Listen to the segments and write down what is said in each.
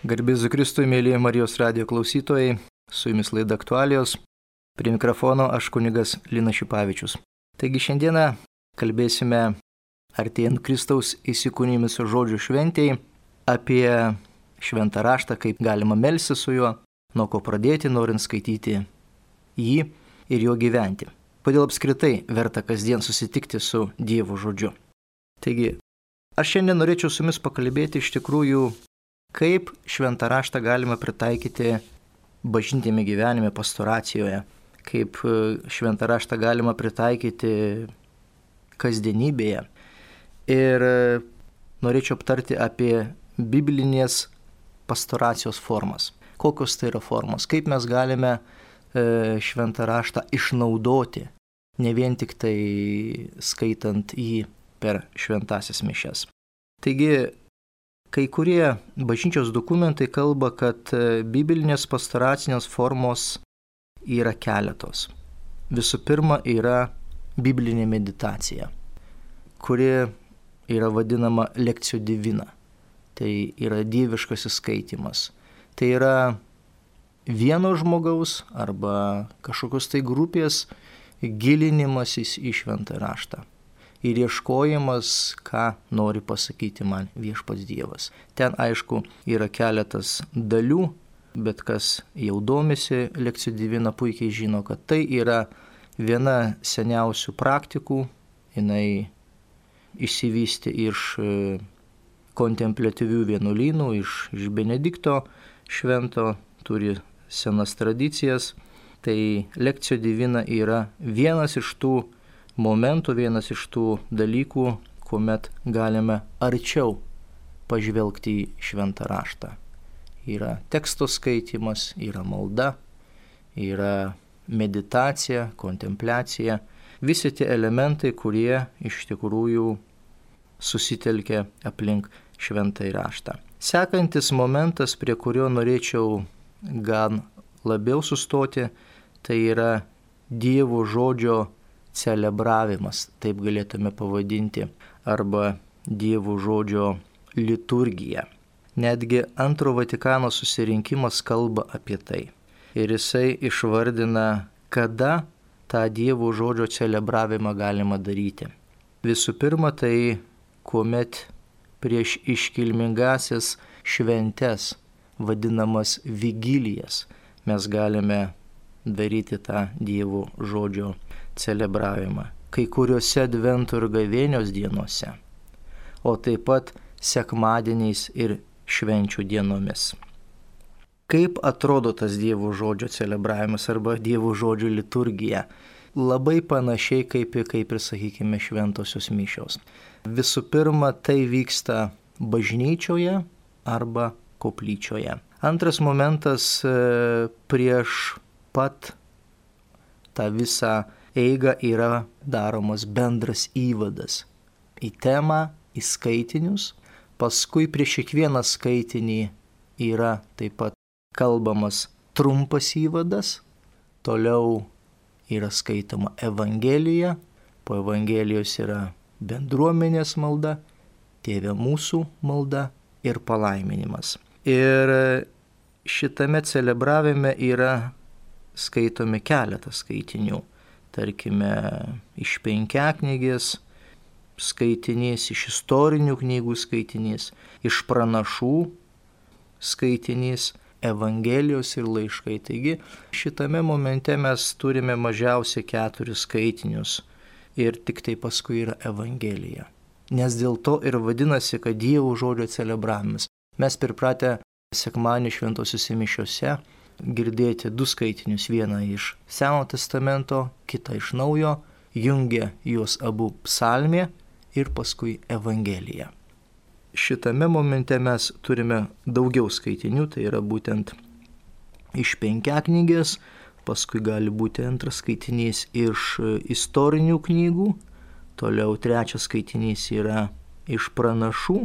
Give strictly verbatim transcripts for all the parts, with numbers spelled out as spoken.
Garbės Kristui, mėly Marijos radijo klausytojai, su jumis laida Aktualijos. Prie mikrofono aš kunigas Linas Šipavičius. Taigi šiandieną kalbėsime artėjant Kristaus įsikūnijimo žodžių šventėj apie šventą raštą, kaip galima melstis su juo, nuo ko pradėti, norint skaityti jį ir jo gyventi. Kodėl apskritai verta kasdien susitikti su Dievo žodžiu. Taigi, aš šiandien norėčiau su jumis pakalbėti iš tikrųjų, kaip šventą raštą galima pritaikyti bažnytiniame gyvenime, pastoracijoje, kaip šventą raštą galima pritaikyti kasdienybėje. Ir norėčiau aptarti apie biblinės pastoracijos formas. Kokios tai yra formos, kaip mes galime šventą raštą išnaudoti, ne vien tik tai skaitant jį per šventąsias mišias. Taigi, kai kurie bažnyčios dokumentai kalba, kad biblinės pastoracinės formos yra keletos. Visų pirma, yra biblinė meditacija, kuri yra vadinama lekcio divina. Tai yra dieviškasis skaitimas. Tai yra vieno žmogaus arba kažkokios tai grupės gilinimasis į šventą raštą. Ir ieškojimas, ką nori pasakyti man viešpats Dievas. Ten, aišku, yra keletas dalių, bet kas jau domisi lekcio divina puikiai žino, kad tai yra viena seniausių praktikų. Jinai išsivystė iš kontempliatyvių vienuolynų, iš, iš Benedikto švento, turi senas tradicijas. Tai lekcio divina yra vienas iš tų momentų, vienas iš tų dalykų, kuomet galime arčiau pažvelgti į šventą raštą. Yra teksto skaitimas, yra malda, yra meditacija, kontempliacija. Visi tie elementai, kurie iš tikrųjų susitelkia aplink šventąjį raštą. Sekantis momentas, prie kurio norėčiau gan labiau sustoti, tai yra Dievo žodžio celebravimas, taip galėtume pavadinti, arba Dievo žodžio liturgija. Netgi Antro Vatikano susirinkimas kalba apie tai. Ir jisai išvardina, kada tą Dievo žodžio celebravimą galima daryti. Visų pirma, tai kuomet prieš iškilmingasias šventes, vadinamas vigilijas, mes galime daryti tą Dievo žodžio celebravimą. Kai kuriuose advento ir gavėnios dienose, o taip pat sekmadieniais ir švenčių dienomis. Kaip atrodo tas Dievo žodžio celebravimas arba Dievo žodžio liturgija? Labai panašiai kaip, kaip ir, sakykime, šventosios mišios. Visų pirma, tai vyksta bažnyčioje arba koplyčioje. Antras momentas, prieš pat tą visą eigą yra daromas bendras įvadas į temą, į skaitinius. Paskui prieš kiekvieną skaitinį yra taip pat kalbamas trumpas įvadas. Toliau yra skaitoma Evangelija. Po Evangelijos yra bendruomenės malda, Tėve mūsų malda ir palaiminimas. Ir šitame celebravime yra skaitomi keletas skaitinių. Tarkime, iš penkiaknygės skaitinys, iš istorinių knygų skaitinys, iš pranašų skaitinys, Evangelijos ir laiškai. Taigi, šitame momente mes turime mažiausiai keturis skaitinius ir tik tai paskui yra Evangelija. Nes dėl to ir vadinasi, kad Dievo žodžio celebravimas. Mes pripratę sekmadienio šventosiuose mišiose girdėti du skaitinius, vieną iš Seno testamento, kitą iš Naujo, jungia juos abu psalmė ir paskui Evangelija. Šitame momente mes turime daugiau skaitinių, tai yra būtent iš penkiaknygės, paskui gali būti antras skaitinys iš istorinių knygų, toliau trečias skaitinys yra iš pranašų,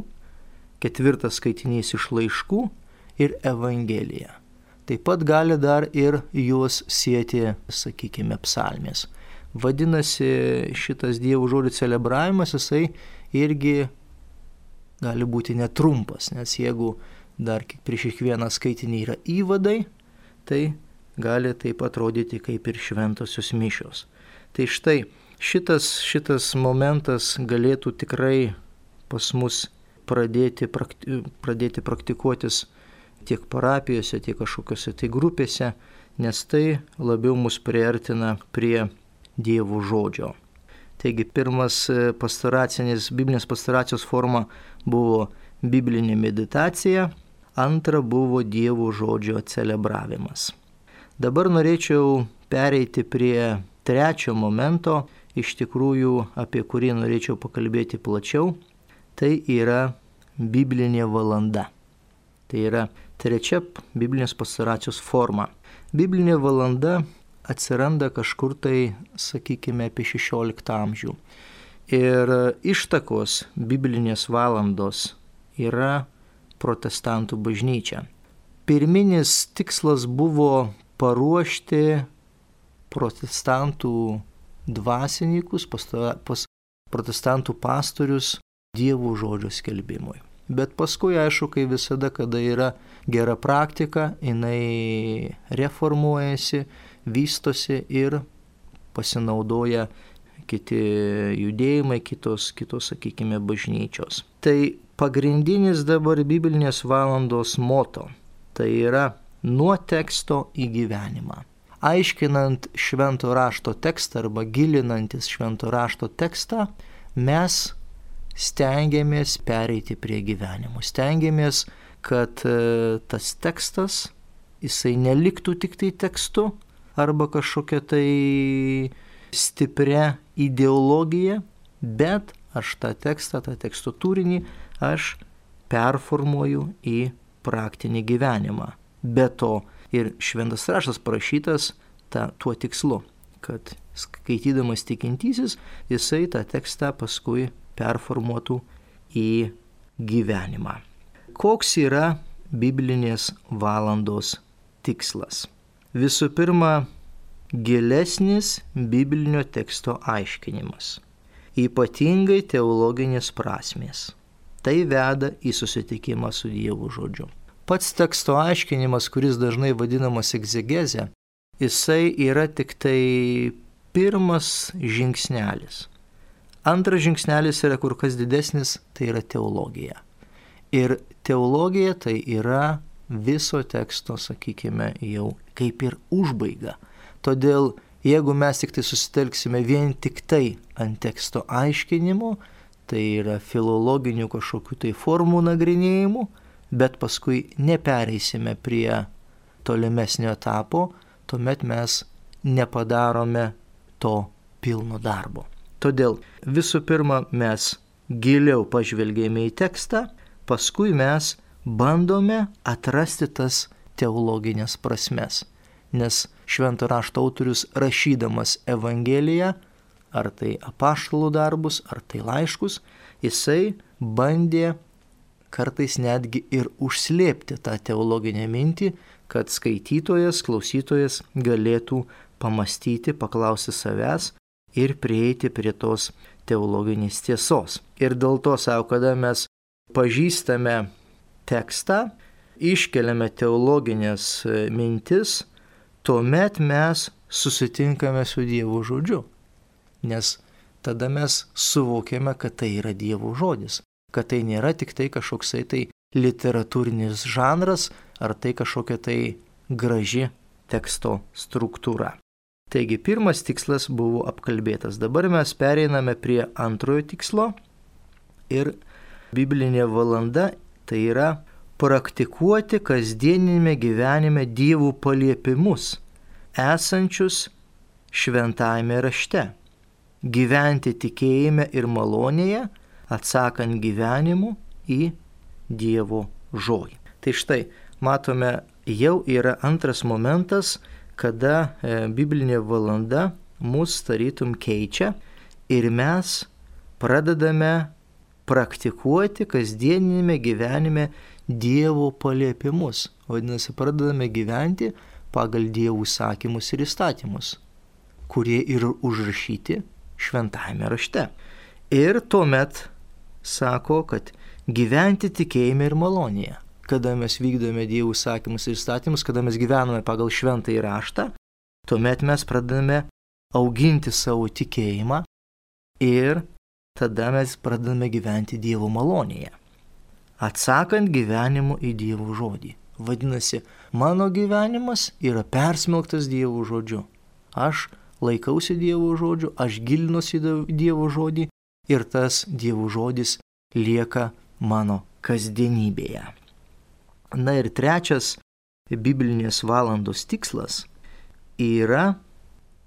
ketvirtas skaitinys iš laiškų ir Evangelija. Taip pat gali dar ir juos sieti, sakykime, psalmės. Vadinasi, šitas Dievo žodžio celebravimas, jisai irgi gali būti netrumpas, nes jeigu dar prieš kiekvieną skaitinį yra įvadai, tai gali taip atrodyti kaip ir šventosios mišios. Tai štai šitas, šitas momentas galėtų tikrai pas mus pradėti, prakti, pradėti praktikuotis tiek parapijose, tiek kažkokiose tai grupėse, nes tai labiau mus priartina prie Dievo žodžio. Taigi pirmas pastoracinis, biblinės pastoracijos forma buvo biblinė meditacija, antra buvo Dievo žodžio celebravimas. Dabar norėčiau pereiti prie trečio momento, iš tikrųjų apie kurį norėčiau pakalbėti plačiau, tai yra biblinė valanda. Tai yra trečia biblinės pastoracijos forma. Biblinė valanda atsiranda kažkur tai, sakykime, apie šešioliktą amžių. Ir ištakos biblinės valandos yra protestantų bažnyčia. Pirminis tikslas buvo paruošti protestantų dvasininkus, pas protestantų pastorius Dievo žodžio skelbimui. Bet paskui, aišku, kai visada, kada yra gera praktika, jinai reformuojasi, vystosi ir pasinaudoja kiti judėjimai, kitos, kitos, sakykime, bažnyčios. Tai pagrindinis dabar biblinės valandos moto, tai yra nuo teksto į gyvenimą. Aiškinant švento rašto tekstą arba gilinantis švento rašto tekstą, mes stengiamės pereiti prie gyvenimo. Stengiamės, kad tas tekstas, jisai neliktų tik tai tekstu arba kažkokia tai stipria ideologija, bet aš tą tekstą, tą teksto turinį, aš performuoju į praktinį gyvenimą. Be to ir šventas raštas parašytas ta, tuo tikslu, kad skaitydamas tikintysis, jisai tą tekstą paskui performuotų į gyvenimą. Koks yra biblinės valandos tikslas? Visų pirma, gilesnis biblinio teksto aiškinimas, ypatingai teologinės prasmės. Tai veda į susitikimą su Dievo žodžiu. Pats teksto aiškinimas, kuris dažnai vadinamas egzegezė, jisai yra tik tai pirmas žingsnelis. Antras žingsnelis yra kur kas didesnis, tai yra teologija. Ir teologija tai yra viso teksto, sakykime, jau kaip ir užbaiga. Todėl, jeigu mes tik tai susitelksime vien tik tai ant teksto aiškinimo, tai yra filologinių kažkokių tai formų nagrinėjimų, bet paskui nepereisime prie tolimesnio etapo, tuomet mes nepadarome to pilno darbo. Todėl visų pirma mes giliau pažvelgėme į tekstą, paskui mes bandome atrasti tas teologinės prasmes. Nes švento rašto autorius rašydamas Evangeliją, ar tai apaštalų darbus, ar tai laiškus, jisai bandė kartais netgi ir užslėpti tą teologinę mintį, kad skaitytojas, klausytojas galėtų pamastyti, paklausti savęs ir prieiti prie tos teologinės tiesos. Ir dėl to, savo, kada mes pažįstame tekstą, iškeliame teologinės mintis, tuomet mes susitinkame su Dievo žodžiu. Nes tada mes suvokiame, kad tai yra Dievo žodis, kad tai nėra tik tai kažkoksai tai literatūrinis žanras, ar tai kažkokia tai graži teksto struktūra. Taigi pirmas tikslas buvo apkalbėtas. Dabar mes pereiname prie antrojo tikslo ir biblinė valanda tai yra praktikuoti kasdieninėme gyvenime Dievo paliepimus, esančius šventajame rašte, gyventi tikėjime ir malonėje, atsakant gyvenimu į Dievo žodį. Tai štai, matome, jau yra antras momentas, kada e, biblinė valanda mus tarytum keičia ir mes pradedame praktikuoti kasdieninėme gyvenime Dievo paliepimus. Vadinasi, pradedame gyventi pagal Dievo įsakymus ir įstatymus, kurie yra užrašyti šventajame rašte. Ir tuomet sako, kad gyventi tikėjime ir malonėje. kada mes vykdome Dievo įsakymus ir įstatymus, kada mes gyvename pagal šventąjį raštą, tuomet mes pradedame auginti savo tikėjimą ir tada mes pradedame gyventi Dievo malonėje, atsakant gyvenimu į Dievo žodį. Vadinasi, mano gyvenimas yra persmelktas Dievo žodžiu. Aš laikausi Dievo žodžiu, aš gilinuosi į Dievo žodį ir tas Dievo žodis lieka mano kasdienybėje. Na ir trečias biblinės valandos tikslas yra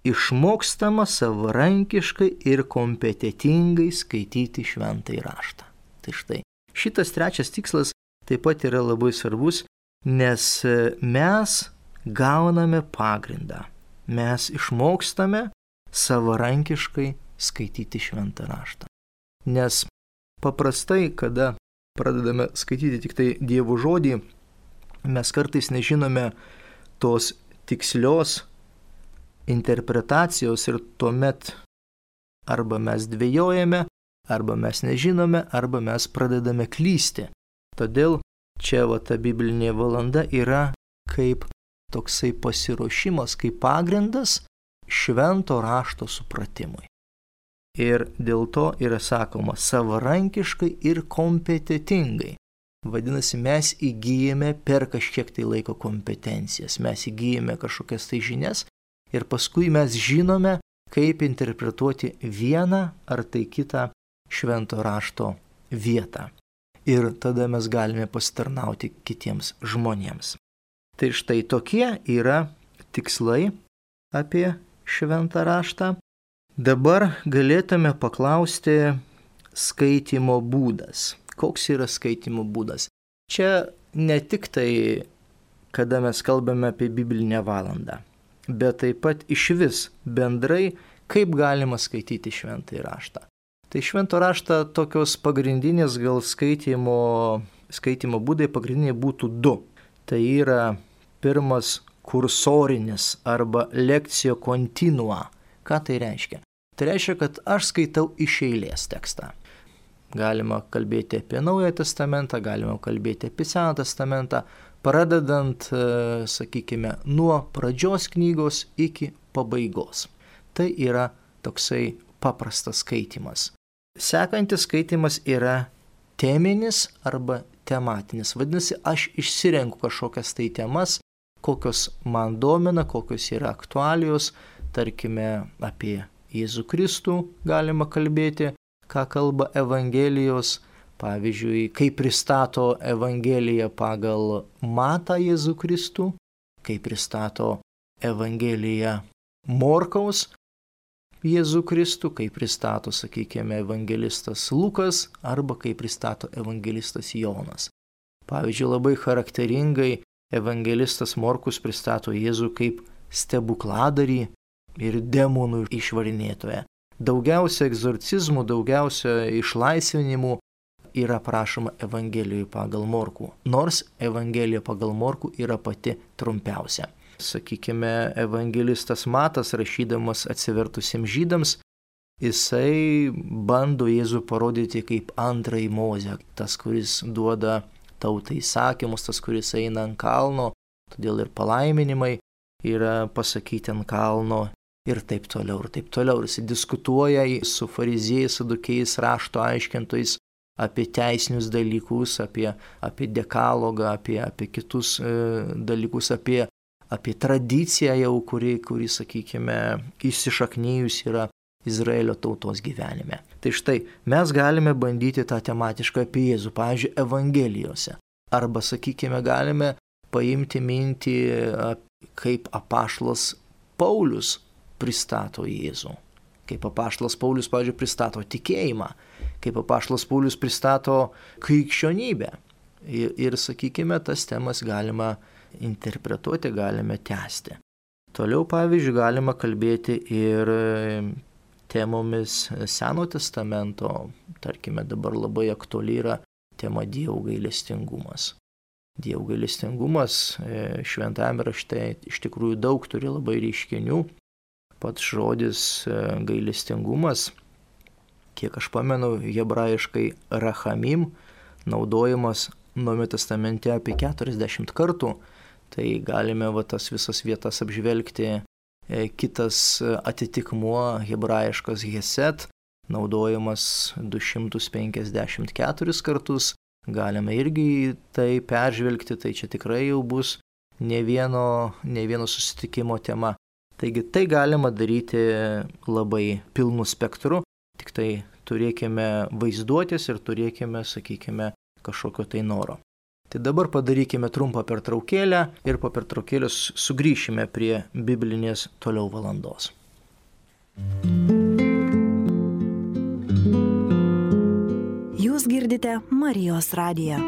išmokstama savarankiškai ir kompetentingai skaityti šventąjį raštą. Tai štai, šitas trečias tikslas taip pat yra labai svarbus, nes mes gauname pagrindą. Mes išmokstame savarankiškai skaityti šventą raštą. Nes paprastai, kada pradedame skaityti tik tai Dievo žodį, mes kartais nežinome tos tikslios interpretacijos ir tuomet arba mes dvejojame, arba mes nežinome, arba mes pradedame klysti. Todėl čia va ta biblinė valanda yra kaip toksai pasiruošimas, kaip pagrindas švento rašto supratimui. Ir dėl to yra sakoma savarankiškai ir kompetentingai. Vadinasi, mes įgyjame per kažkiek tai laiko kompetencijas, mes įgyjame kažkokias tai žinias ir paskui mes žinome, kaip interpretuoti vieną ar tai kitą švento rašto vietą. Ir tada mes galime pasitarnauti kitiems žmonėms. Tai štai tokie yra tikslai apie šventą raštą. Dabar galėtume paklausti skaitimo būdas. Koks yra skaitimo būdas? Čia ne tik tai, kada mes kalbame apie biblinę valandą, bet taip pat iš vis bendrai, kaip galima skaityti šventąjį raštą. Tai švento raštą tokios pagrindinės gal skaitimo, skaitimo būdai pagrindiniai būtų du. Tai yra pirmas kursorinis arba lekcijo continua. Ką tai reiškia? Tai reiškia, kad aš skaitau iš eilės tekstą. Galima kalbėti apie Naująjį testamentą, galima kalbėti apie Seną testamentą, pradedant, sakykime, nuo pradžios knygos iki pabaigos. Tai yra toksai paprastas skaitimas. Sekantis skaitimas yra teminis arba tematinis. Vadinasi, aš išsirenku kažkokias tai temas, kokios man domina, kokios yra aktualijos, tarkime, apie Jėzų Kristų galima kalbėti, ką kalba Evangelijos, pavyzdžiui, kaip pristato Evangelija pagal Matą Jėzų Kristų, kaip pristato Evangelija Morkaus Jėzų Kristų, kaip pristato, sakykime, evangelistas Lukas arba kaip pristato evangelistas Jonas. Pavyzdžiui, labai charakteringai evangelistas Morkus pristato Jėzų kaip stebukladarį ir demonų išvarinėtoją. Daugiausia egzorcizmų, daugiausia išlaisvinimų yra prašoma Evangelijoje pagal Morkų, nors Evangelija pagal Morkų yra pati trumpiausia. Sakykime, evangelistas Matas, rašydamas atsivertusiems žydams, jisai bando Jėzų parodyti kaip antrąjį Mozę, tas, kuris duoda tautai įsakymus, tas, kuris eina ant kalno, todėl ir palaiminimai yra pasakyti ant kalno ir taip toliau, ir taip toliau. Jis diskutuoja su fariziejais, sadukiais, rašto aiškintojais apie teisinius dalykus, apie, apie dekalogą, apie, apie kitus e, dalykus, apie apie tradiciją jau, kuri, kuri, sakykime, įsišaknyjus yra Izraelio tautos gyvenime. Tai štai, mes galime bandyti tą tematišką apie Jėzų, pavyzdžiui, Evangelijose. Arba, sakykime, galime paimti mintį, kaip apaštalas Paulius pristato Jėzų. Kaip apaštalas Paulius, pavyzdžiui, pristato tikėjimą. Kaip apaštalas Paulius pristato krikščionybę. Ir, ir, sakykime, tas temas galima interpretuoti, galime tęsti. Toliau, pavyzdžiui, galima kalbėti ir temomis Seno testamento, tarkime, dabar labai aktuali yra tema Dievo gailestingumas. Dievo gailestingumas šventajame rašte iš tikrųjų daug turi labai reiškinių. Pats žodis gailestingumas, kiek aš pamenu, hebrajiškai rachamim, naudojamas Naujame testamente apie keturiasdešimt kartų, tai galime va, tas visas vietas apžvelgti. Kitas atitikmuo hebrajiškas Hesed, naudojamas du šimtus penkiasdešimt keturis kartus. Galime irgi tai peržvelgti, tai čia tikrai jau bus ne vieno, ne vieno susitikimo tema. Taigi tai galima daryti labai pilnu spektru, tik tai turėkime vaizduotės ir turėkime, sakykime, kažkokio tai noro. Tai dabar padarykime trumpą pertraukėlę ir po pertraukėlės sugrįšime prie biblinės toliau valandos. Jūs girdite Marijos radiją.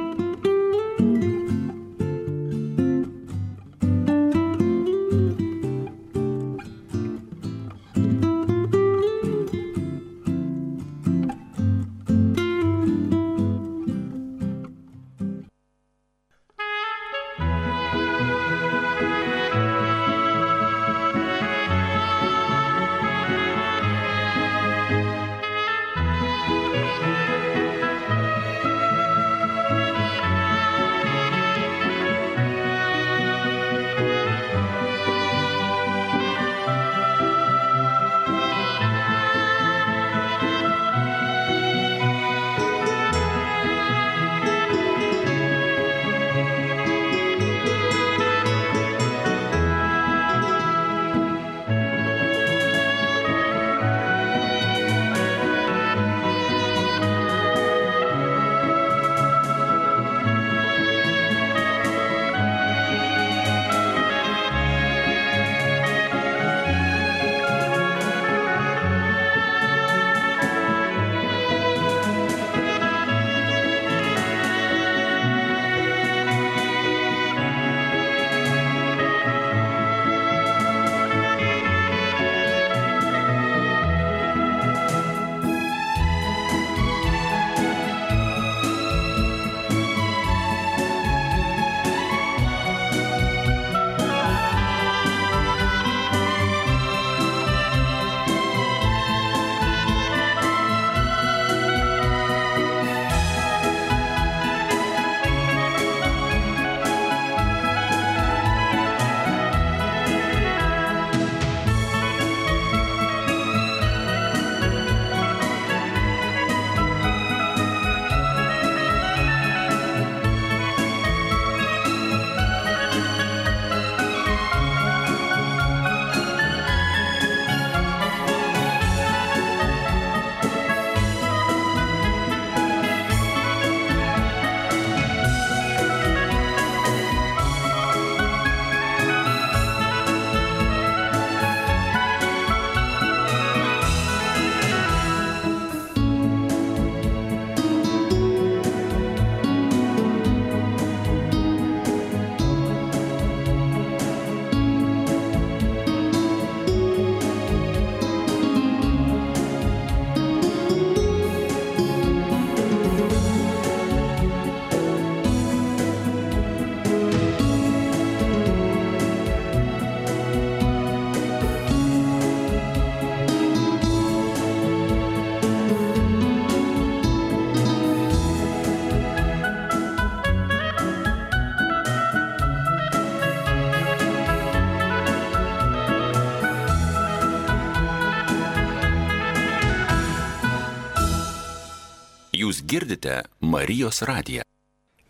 Jūs girdite Marijos radiją.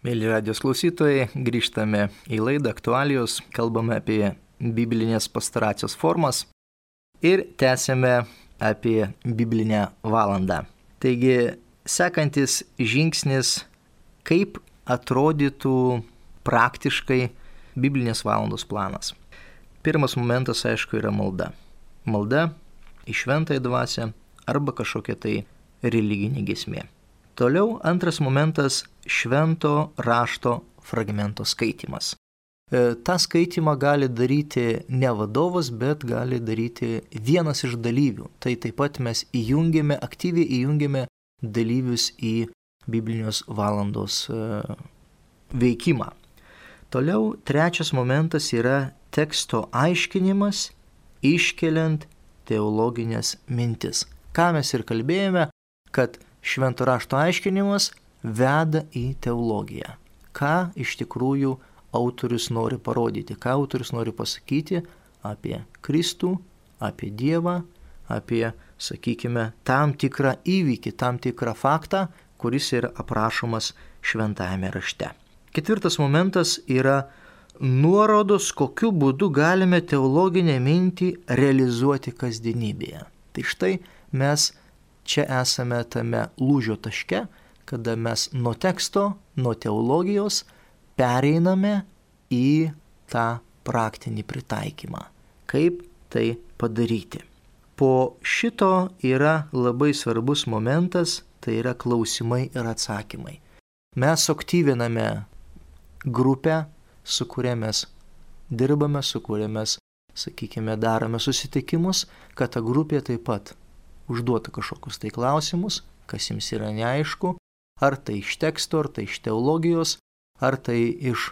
Mėly radijos klausytojai, grįžtame į laidą Aktualijos, kalbame apie biblinės pastoracijos formas ir tęsėme apie biblinę valandą. Taigi, sekantis žingsnis, kaip atrodytų praktiškai biblinės valandos planas. Pirmas momentas, aišku, yra malda. Malda į šventąją dvasią arba kažkokia tai religinė giesmė. Toliau antras momentas – švento rašto fragmento skaitymas. E, tą skaitimą gali daryti ne vadovas, bet gali daryti vienas iš dalyvių. Tai taip pat mes įjungiame, aktyviai įjungiame dalyvius į biblinės valandos e, veikimą. Toliau trečias momentas yra teksto aiškinimas, iškeliant teologinės mintis. Ką mes ir kalbėjome, kad švento rašto aiškinimas veda į teologiją. ką iš tikrųjų autorius nori parodyti, ką autorius nori pasakyti apie Kristų, apie Dievą, apie, sakykime, tam tikrą įvykį, tam tikrą faktą, kuris yra aprašomas šventajame rašte. Ketvirtas momentas yra nuorodos, kokiu būdu galime teologinę mintį realizuoti kasdienybėje. Tai štai mes čia esame tame lūžio taške, kada mes nuo teksto, nuo teologijos pereiname į tą praktinį pritaikymą. Kaip tai padaryti? Po šito yra labai svarbus momentas, tai yra klausimai ir atsakymai. Mes aktyviname grupę, su kuria mes dirbame, su kuria mes, sakykime, darome susitikimus, kad ta grupė taip pat užduotų kažkokius tai klausimus, kas jums yra neaišku, ar tai iš teksto, ar tai iš teologijos, ar tai iš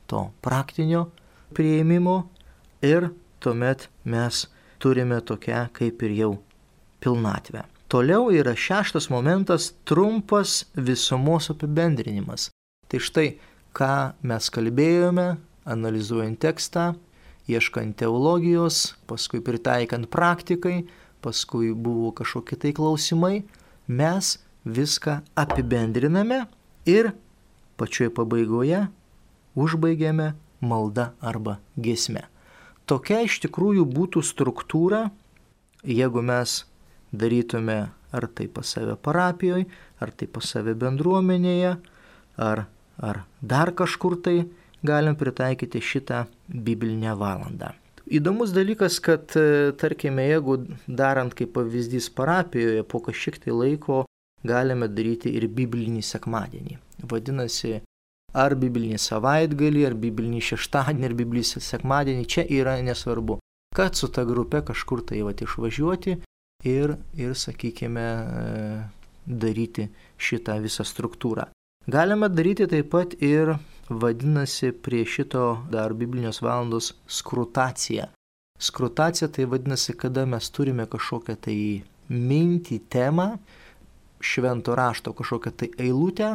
to praktinio priėmimo, ir tuomet mes turime tokią kaip ir jau pilnatvę. Toliau yra šeštas momentas – trumpas visumos apibendrinimas. Tai štai, ką mes kalbėjome, analizuojant tekstą, ieškant teologijos, paskui pritaikant praktikai, paskui buvo kažkokie tai klausimai, mes viską apibendriname ir pačioje pabaigoje užbaigiame malda arba giesme. Tokia iš tikrųjų būtų struktūra, jeigu mes darytume ar tai pas save parapijoje, ar tai pas save bendruomenėje, ar, ar dar kažkur tai galim pritaikyti šitą biblinę valandą. Įdomus dalykas, kad, tarkime, jeigu darant kaip pavyzdys parapijoje, po kažkiek tai laiko galime daryti ir biblinį sekmadienį. Vadinasi, ar biblinį savaitgalį, ar biblinį šeštadienį, ar biblinį sekmadienį, čia yra nesvarbu, kad su ta grupe kažkur tai vat išvažiuoti ir, ir, sakykime, daryti šitą visą struktūrą. Galime daryti taip pat ir, vadinasi, prie šito dar biblinės valandos skrutacija. Skrutacija tai vadinasi, kada mes turime kažkokią tai mintį, temą, švento rašto kažkokią tai eilutę,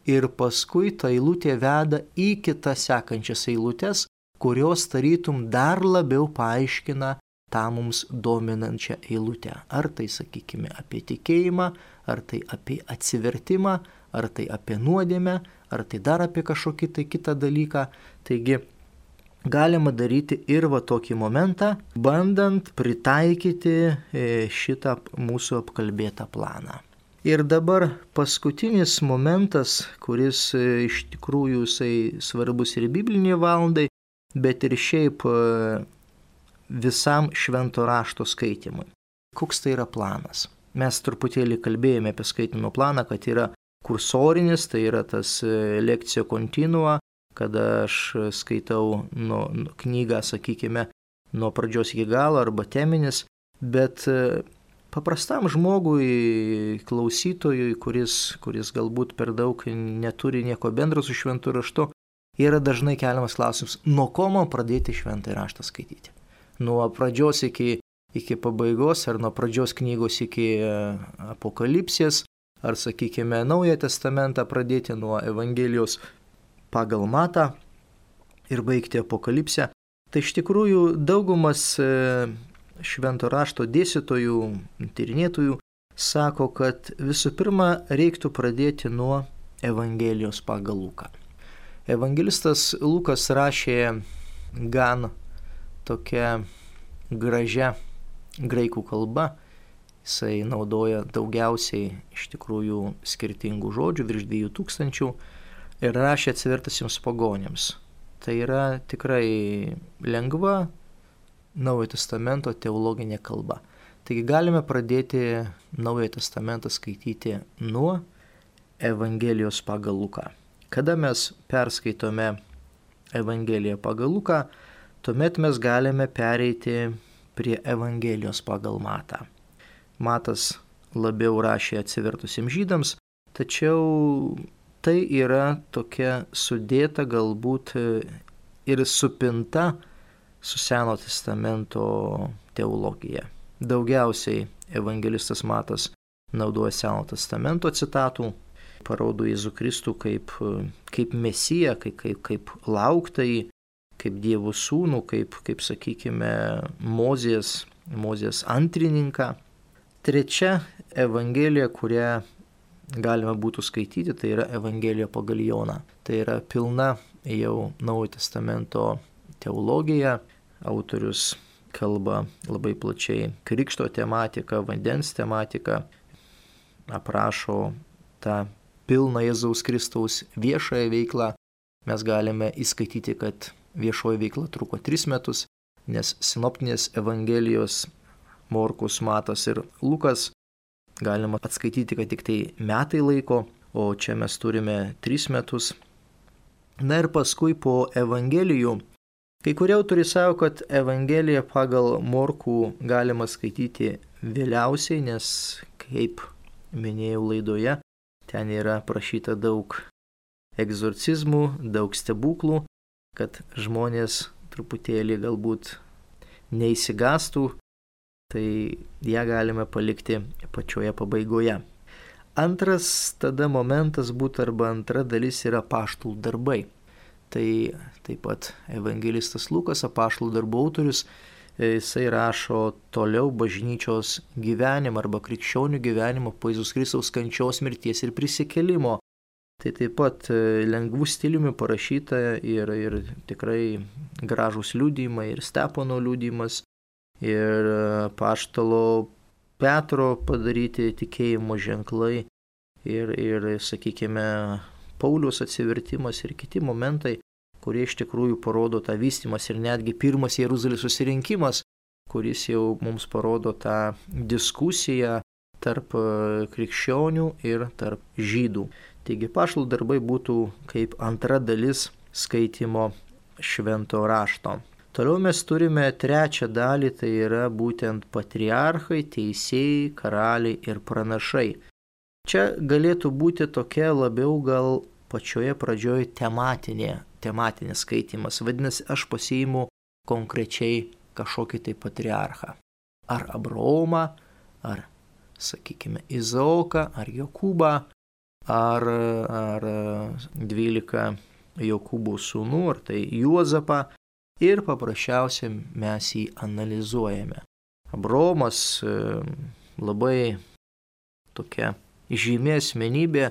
ir paskui ta eilutė veda į kitas sekančias eilutės, kurios tarytum dar labiau paaiškina tą mums dominančią eilutę. Ar tai, sakykime, apie tikėjimą, ar tai apie atsivertimą, ar tai apie nuodėmę, ar tai dar apie kažkokį tai kitą dalyką. Taigi galima daryti ir va tokį momentą, bandant pritaikyti šitą mūsų apkalbėtą planą. Ir dabar paskutinis momentas, kuris iš tikrųjų jisai svarbus ir bibliniai valandai, bet ir šiaip visam švento rašto skaitimui. Koks tai yra planas? Mes truputėlį kalbėjome apie skaitymo planą, kad yra kursorinis, tai yra tas lekcija continua, kada aš skaitau nuo, nuo knygą, sakykime, nuo pradžios iki galo arba teminis, bet paprastam žmogui, klausytojui, kuris, kuris galbūt per daug neturi nieko bendro su šventu raštu, yra dažnai keliamas klausimas, nuo ko man pradėti šventąjį raštą skaityti. Nuo pradžios iki, iki pabaigos, ar nuo pradžios knygos iki apokalipsės, ar, sakykime, Naują testamentą pradėti nuo Evangelijos pagal Matą ir baigti apokalipsę. Tai iš tikrųjų daugumas švento rašto dėstytojų, tyrinėtojų sako, kad visų pirma reiktų pradėti nuo Evangelijos pagal Luką. Evangelistas Lukas rašė gan tokia gražia graikų kalba. Jisai naudoja daugiausiai iš tikrųjų skirtingų žodžių, virš dviejų tūkstančių, ir rašė atsivertusiems pagonims. Tai yra tikrai lengva Naujojo testamento teologinė kalba. Taigi galime pradėti Naująjį testamentą skaityti nuo Evangelijos pagal Luką. Kada mes perskaitome Evangeliją pagal Luką, tuomet mes galime pereiti prie Evangelijos pagal Matą. Matas labiau rašė atsivertusiems žydams, tačiau tai yra tokia sudėta galbūt ir supinta su Seno testamento teologija. Daugiausiai evangelistas Matas naudoja Seno testamento citatų, parodo Jėzų Kristų kaip, kaip mesiją, kaip, kaip, kaip lauktai, kaip Dievo sūnų, kaip, kaip sakykime, Mozės, Mozės antrininką. Trečia Evangelija, kurią galima būtų skaityti, tai yra Evangelija pagal Joną. Tai yra pilna jau Naujojo Testamento teologija. Autorius kalba labai plačiai krikšto tematiką, vandens tematiką, aprašo tą pilną Jėzaus Kristaus viešąją veiklą. Mes galime įskaityti, kad viešoji veikla truko tris metus, nes sinoptinės Evangelijos Morkus, Matas ir Lukas galima atskaityti, kad tik tai metai laiko, o čia mes turime tris metus. Na ir paskui po Evangelijų, kai kurie autoriai sako, kad Evangeliją pagal Morkų galima skaityti vėliausiai, nes, kaip minėjau laidoje, ten yra prašyta daug egzorcizmų, daug stebuklų, kad žmonės truputėlį galbūt neįsigastų, tai ją galime palikti pačioje pabaigoje. Antras tada momentas būtų arba antra dalis yra apaštalų darbai. Tai taip pat evangelistas Lukas, apaštalų darbų autorius, jisai rašo toliau bažnyčios gyvenimą arba krikščionių gyvenimą po Jėzaus Kristaus kančios, mirties ir prisikėlimo. Tai taip pat lengvų stiliumi parašyta ir, ir tikrai gražūs liudijimai, ir Stepono liudijimas, ir apaštalo Petro padaryti tikėjimo ženklai, ir, ir sakykime, Pauliaus atsivertimas ir kiti momentai, kurie iš tikrųjų parodo tą vystymas, ir netgi pirmas Jeruzalės susirinkimas, kuris jau mums parodo tą diskusiją tarp krikščionių ir tarp žydų. Taigi apaštalų darbai būtų kaip antra dalis skaitymo švento rašto. Toliau mes turime trečią dalį, tai yra būtent patriarchai, teisėjai, karaliai ir pranašai. Čia galėtų būti tokia labiau gal pačioje pradžioje tematinė, tematinė skaitymas. Vadinasi, aš pasiimu konkrečiai kažkokį tai patriarchą. Ar Abraomą, ar, sakykime, Izaoką, ar Jokūbą, ar, ar dvylika Jokūbo sūnų, ar tai Juozapą. Ir paprasčiausiai mes jį analizuojame. Abraomas labai tokia žymi asmenybė.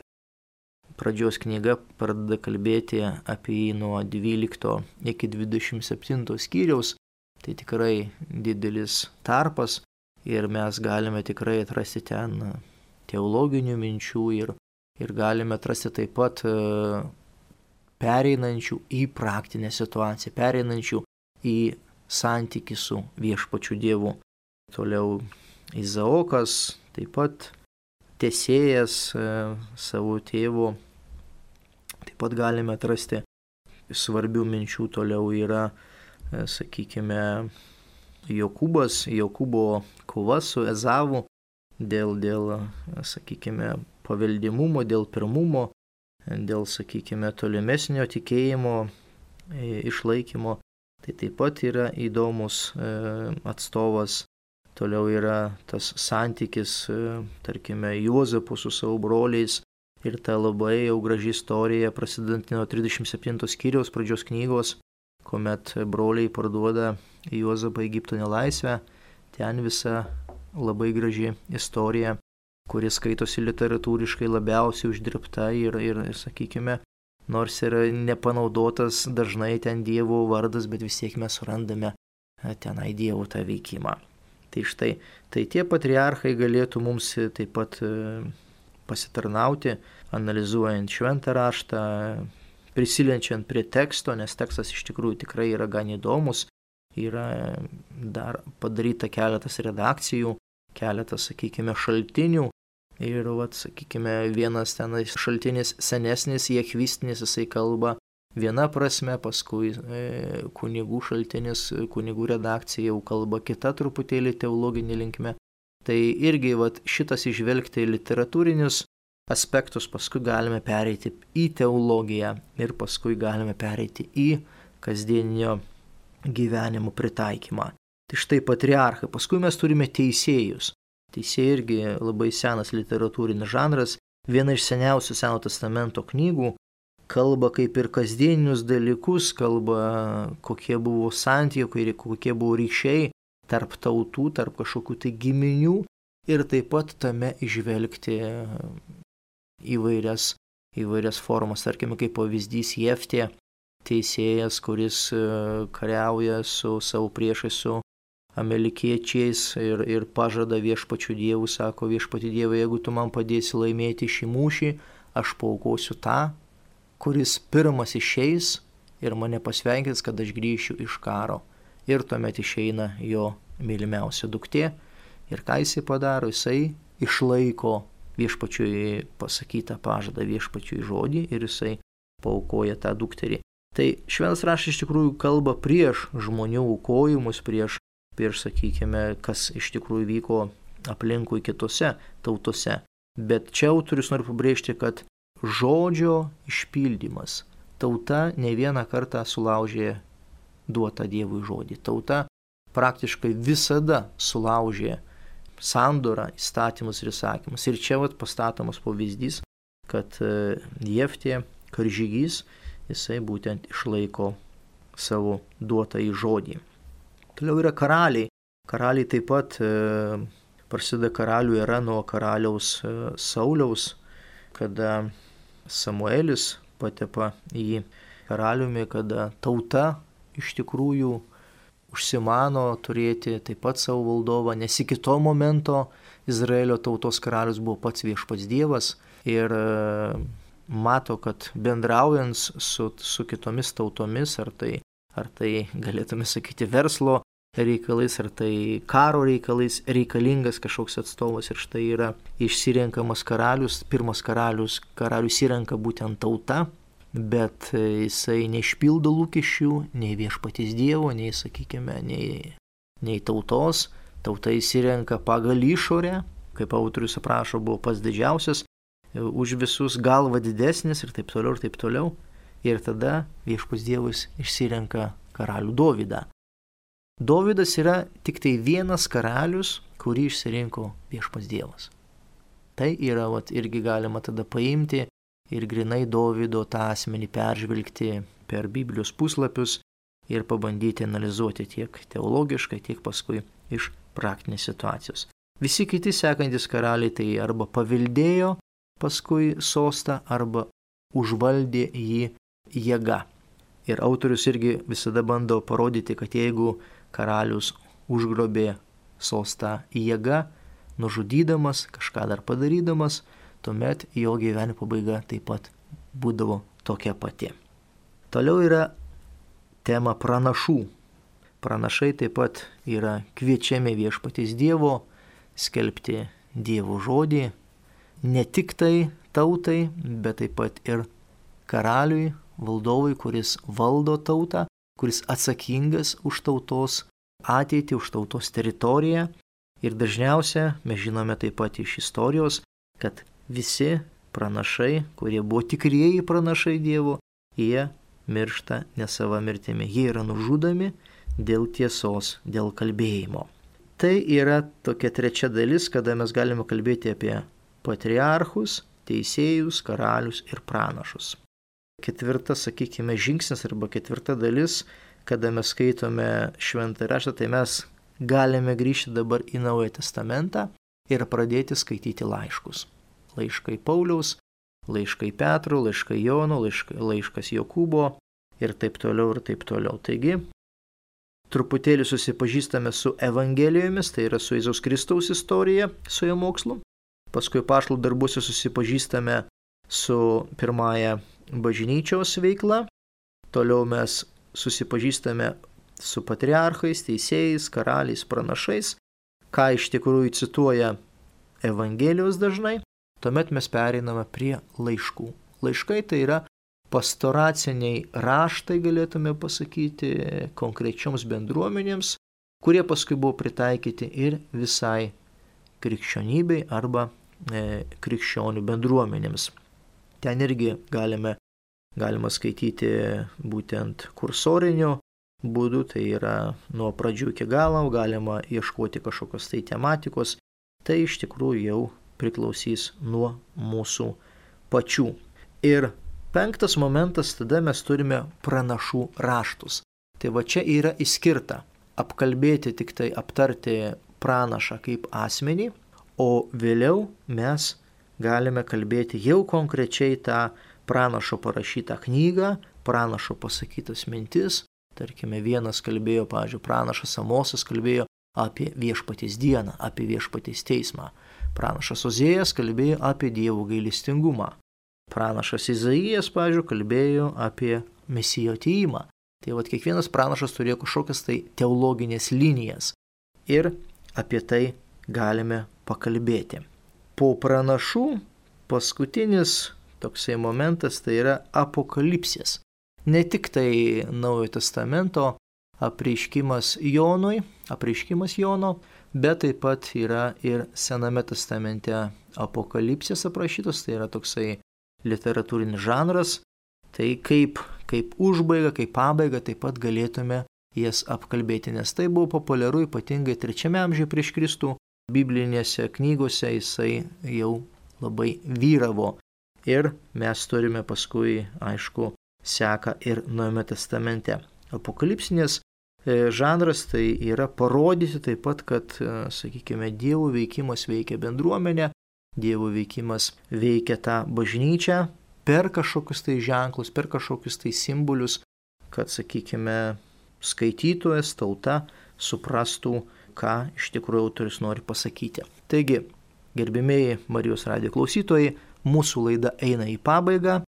Pradžios knyga pradeda kalbėti apie jį nuo dvylikto iki dvidešimt septinto skyriaus. Tai tikrai didelis tarpas ir mes galime tikrai atrasti ten teologinių minčių ir, ir galime atrasti taip pat pereinančių į praktinę situaciją, pereinančių į santykį su viešpačiu Dievu. Toliau Izaokas, taip pat tesėjas e, savo tėvo. Taip pat galime atrasti svarbių minčių. Toliau yra, e, sakykime, Jokūbas, Jokūbo kova su Ezavu dėl, dėl, sakykime, paveldimumo, dėl pirmumo, dėl, sakykime, tolimesnio tikėjimo išlaikymo. Tai taip pat yra įdomus atstovas. Toliau yra tas santykis, tarkime, Juozapo su savo broliais ir ta labai jau graži istorija prasidant nuo trisdešimt septinto skyriaus pradžios knygos, kuomet broliai parduoda Juozapą Egipto nelaisvę. Ten visa labai graži istorija, kuris skaitosi literatūriškai labiausiai uždirbta ir, ir, sakykime, nors yra nepanaudotas dažnai ten Dievo vardas, bet vis tiek mes surandame tenai Dievo tą veikimą. Tai štai, tai tie patriarchai galėtų mums taip pat pasitarnauti, analizuojant šventą raštą, prisilenčiant prie teksto, nes tekstas iš tikrųjų tikrai yra gan įdomus, yra dar padaryta keletas redakcijų, keletas, sakykime, šaltinių. Ir, vat, sakykime, vienas tenais šaltinis senesnis, jechvistinis, jisai kalba viena prasme, paskui e, kunigų šaltinis, kunigų redakcija jau kalba kita truputėlį teologinė linkme. Tai irgi vat, šitas išvelgti literatūrinius aspektus, paskui galime pereiti į teologiją ir paskui galime pereiti į kasdieninio gyvenimo pritaikymą. Tai štai patriarchai, paskui mes turime teisėjus. Teisėjai irgi labai senas literatūrinis žanras, viena iš seniausių Seno testamento knygų, kalba kaip ir kasdieninius dalykus, kalba kokie buvo santykiai, kokie buvo ryšiai tarp tautų, tarp kažkokių tai giminių ir taip pat tame išvelgti įvairias, įvairias formas. Tarkime, kaip pavyzdys Jeftė, teisėjas, kuris kariauja su savo priešais, su amelikiečiais ir, ir pažada viešpačių dievų, sako viešpati dievai, jeigu tu man padėsi laimėti šį mūšį, aš paaukosiu tą, kuris pirmas išeis ir mane pasveikins, kad aš grįšiu iš karo. Ir tuomet išeina jo mylimiausia duktė. Ir ką jisai padaro? Jisai išlaiko viešpačiui pasakytą pažadą, viešpačiui žodį ir jisai paaukoja tą dukterį. Tai šventas raštas iš tikrųjų kalba prieš žmonių aukojimus, prieš, prieš, sakykime, kas iš tikrųjų vyko aplinkui kitose tautose. Bet čia autorius nori pabrėžti, kad žodžio išpildymas. Tauta ne vieną kartą sulaužė duotą Dievui žodį. Tauta praktiškai visada sulaužė sandorą, įstatymus ir įsakymus. Ir čia vat pastatomas pavyzdys, kad Jeftė, karžygys, jisai būtent išlaiko savo duotą į žodį. Toliau yra karaliai. Karaliai taip pat e, prasideda karalių era nuo karaliaus e, Sauliaus, kada Samuelis patepa į karaliumi, kada tauta iš tikrųjų užsimano turėti taip pat savo valdovą, nes iki to momento Izraelio tautos karalius buvo pats viešpats Dievas ir mato, kad bendraujant su, su kitomis tautomis, ar tai, ar tai galėtume sakyti verslo reikalais, ar tai karo reikalais, reikalingas kažkoks atstovas ir štai yra išsirenkamas karalius, pirmas karalius, karalius įrenka būtent tauta, bet jisai neišpildo lūkesčių, nei viešpaties Dievo, nei, sakykime, nei, nei tautos. Tauta įsirenka pagal išorę, kaip autorius aprašo, buvo pats didžiausias, už visus galva didesnis ir taip toliau, ir taip toliau. Ir tada viešpats Dievas išsirenka karalių Dovydą. Dovydas yra tik tai vienas karalius, kurį išsirinko viešpats Dievas. Tai yra, vat, irgi galima tada paimti ir grinai Dovydo tą asmenį peržvelgti per Biblijos puslapius ir pabandyti analizuoti tiek teologiškai, tiek paskui iš praktinės situacijos. Visi kiti sekantis karaliai tai arba paveldėjo paskui sostą, arba užvaldė jį jėga. Ir autorius irgi visada bando parodyti, kad jeigu karalius užgrobė sostą jėga, nužudydamas, kažką dar padarydamas, tuomet jo gyvenimo pabaiga taip pat būdavo tokia pati. Toliau yra tema pranašų. Pranašai taip pat yra kviečiami viešpaties Dievo skelbti Dievo žodį, ne tik tai tautai, bet taip pat ir karaliui, valdovui, kuris valdo tautą, kuris atsakingas už tautos ateitį, už tautos teritoriją. Ir dažniausia, mes žinome taip pat iš istorijos, kad visi pranašai, kurie buvo tikrieji pranašai Dievo, jie miršta ne sava mirtimi. Jie yra nužudomi dėl tiesos, dėl kalbėjimo. Tai yra tokia trečia dalis, kada mes galime kalbėti apie patriarchus, teisėjus, karalius ir pranašus. Ketvirtas, sakykime, žingsnis arba ketvirta dalis, kada mes skaitome šventą raštą, tai mes galime grįžti dabar į Naują testamentą ir pradėti skaityti laiškus. Laiškai Pauliaus, laiškai Petro, laiškai Jono, laiškai, laiškas Jokūbo ir taip toliau ir taip toliau. Taigi, truputėlį susipažįstame su Evangelijomis, tai yra su Jėzaus Kristaus istorija, su jo mokslu. Paskui apaštalų darbuose susipažįstame su pirmąja bažnyčios veikla. Toliau mes susipažįstame su patriarchais, teisėjais, karaliais, pranašais, ką iš tikrųjų cituoja Evangelijos dažnai. Tuomet mes pereiname prie laiškų. Laiškai tai yra pastoraciniai raštai, galėtume pasakyti, konkrečioms bendruomenėms, kurie paskui buvo pritaikyti ir visai krikščionybei arba e, krikščionių bendruomenėms. Ten irgi galime, galima skaityti būtent kursoriniu būdu, tai yra nuo pradžių iki galo, galima ieškoti kažkokios tai tematikos. Tai iš tikrųjų jau priklausys nuo mūsų pačių. Ir penktas momentas, tada mes turime pranašų raštus. Tai va čia yra įskirta apkalbėti, tik tai aptarti pranašą kaip asmenį, o vėliau mes galime kalbėti jau konkrečiai tą pranašo parašytą knygą, pranašo pasakytas mintis. Tarkime, vienas kalbėjo, pavyzdžiui, pranašas Amosas kalbėjo apie viešpaties dieną, apie viešpaties teismą. Pranašas Ozėjas kalbėjo apie Dievo gailestingumą. Pranašas Izaijas, pavyzdžiui, kalbėjo apie Mesijo atėjimą. Tai vat kiekvienas pranašas turėjo kažkokias tai teologinės linijas. Ir apie tai galime pakalbėti. Po pranašų paskutinis toksai momentas tai yra apokalipsės. Ne tik tai Naujojo testamento apreiškimas Jonui, apreiškimas Jono, bet taip pat yra ir Sename testamente apokalipsės aprašytos, tai yra toksai literatūrinis žanras. Tai kaip, kaip užbaiga, kaip pabaiga taip pat galėtume jas apkalbėti, nes tai buvo populiaru ypatingai trečiame amžiuje prieš Kristų. Biblinėse knygose jisai jau labai vyravo. Ir mes turime paskui, aišku, seką ir Naujame testamente. Apokalipsinės žanras tai yra parodyti taip pat, kad, sakykime, Dievo veikimas veikia bendruomenę, Dievo veikimas veikia tą bažnyčią per kažkokius tai ženklus, per kažkokius tai simbolius, kad, sakykime, skaitytojas, tauta suprastų, ką iš tikrųjų autorius nori pasakyti. Taigi, gerbimieji Marijos radijo klausytojai, mūsų laida eina į pabaigą.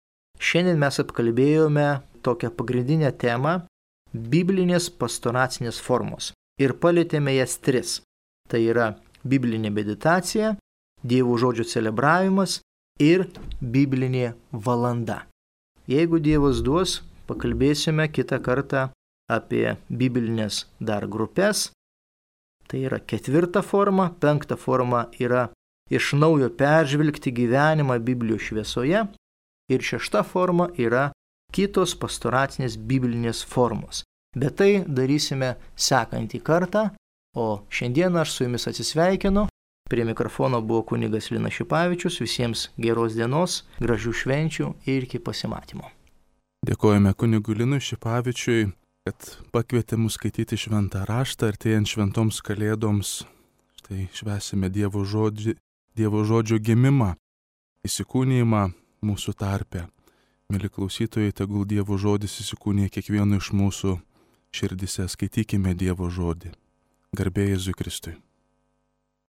Šiandien mes apkalbėjome tokią pagrindinę temą – biblinės pastoracinės formos. Ir palietėme jas tris. Tai yra biblinė meditacija, Dievo žodžio celebravimas ir biblinė valanda. Jeigu Dievas duos, pakalbėsime kitą kartą apie biblinės dar grupės. Tai yra ketvirta forma, penkta forma yra iš naujo peržvelgti gyvenimą Biblijos šviesoje ir šešta forma yra kitos pastoracinės biblinės formos. Bet tai darysime sekantį kartą, o šiandien aš su jumis atsisveikinu. Prie mikrofono buvo kunigas Linas Šipavičius. Visiems geros dienos, gražių švenčių ir iki pasimatymo. Dėkojame kunigui Linui Šipavičiui, kad pakvietė mus skaityti šventą raštą artėjant šventoms kalėdoms. Štai švęsime Dievo žodžio, Dievo žodžio gimimą, įsikūnijimą mūsų tarpe. Mėly klausytojai, tegul Dievo žodis įsikūnija kiekvieno iš mūsų širdise. Skaitykime Dievo žodį. Garbė Jėzui Kristui.